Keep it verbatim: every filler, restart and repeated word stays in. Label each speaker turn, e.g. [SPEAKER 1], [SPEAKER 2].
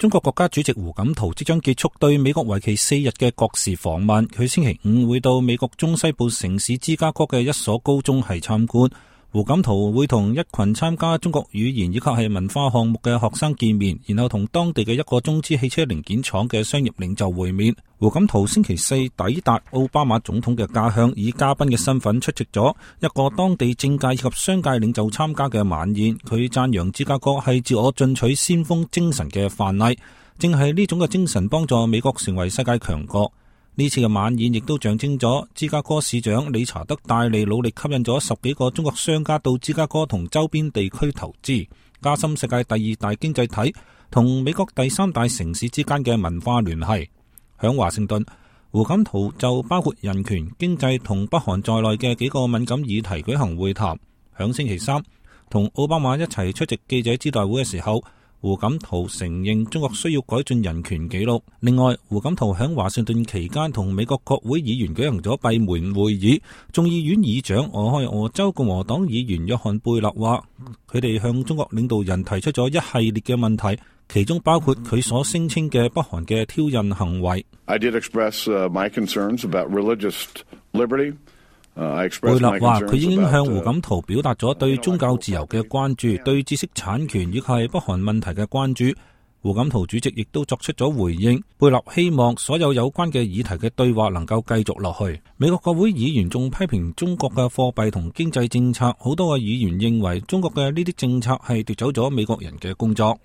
[SPEAKER 1] 中國國家主席胡錦濤即將結束對美國為期四日嘅國事訪問，佢星期五會到美國中西部城市芝加哥嘅一所高中係參觀。胡錦濤會同一群參加中國語言以及係文化項目嘅學生見面，然後同當地嘅一個中資汽車零件廠嘅商業領袖會面。胡錦濤星期四抵達奧巴馬總統嘅家鄉，以嘉賓嘅身份出席咗一個當地政界以及商界領袖參加嘅晚宴。佢讚揚芝加哥係自我進取先鋒精神嘅範例，正係呢種嘅精神幫助美國成為世界強國。呢次嘅晚宴亦都象徵咗芝加哥市長理查德戴利努力吸引咗十幾個中國商家到芝加哥同周邊地區投資，加深世界第二大經濟體同美國第三大城市之間嘅文化聯繫。響華盛頓，胡錦濤就包括人權、經濟同北韓在內嘅幾個敏感議題舉行會談。響星期三同奧巴馬一齊出席記者招待會嘅時候，胡錦濤承認中國需要改進人權紀錄。另外，胡錦濤喺華盛頓期間同美國國會議員舉行咗閉門會議。眾議院議長俄亥俄州共和黨議員約翰貝勒話，佢哋向中國領導人提出咗一系列嘅問題，其中包括佢所聲稱嘅北韓嘅挑釁行為。
[SPEAKER 2] I did express, uh, my concerns about religious liberty.
[SPEAKER 1] 貝勒話佢已經向胡錦濤表達咗對宗教自由嘅關注，對知識產權以及係北韓問題嘅關注。胡錦濤主席亦都作出咗回應。貝勒希望所有有關嘅議題嘅對話能夠繼續落去。美國國會議員仲批評中國嘅貨幣同經濟政策，好多嘅議員認為中國嘅呢啲政策係奪走咗美國人嘅工作。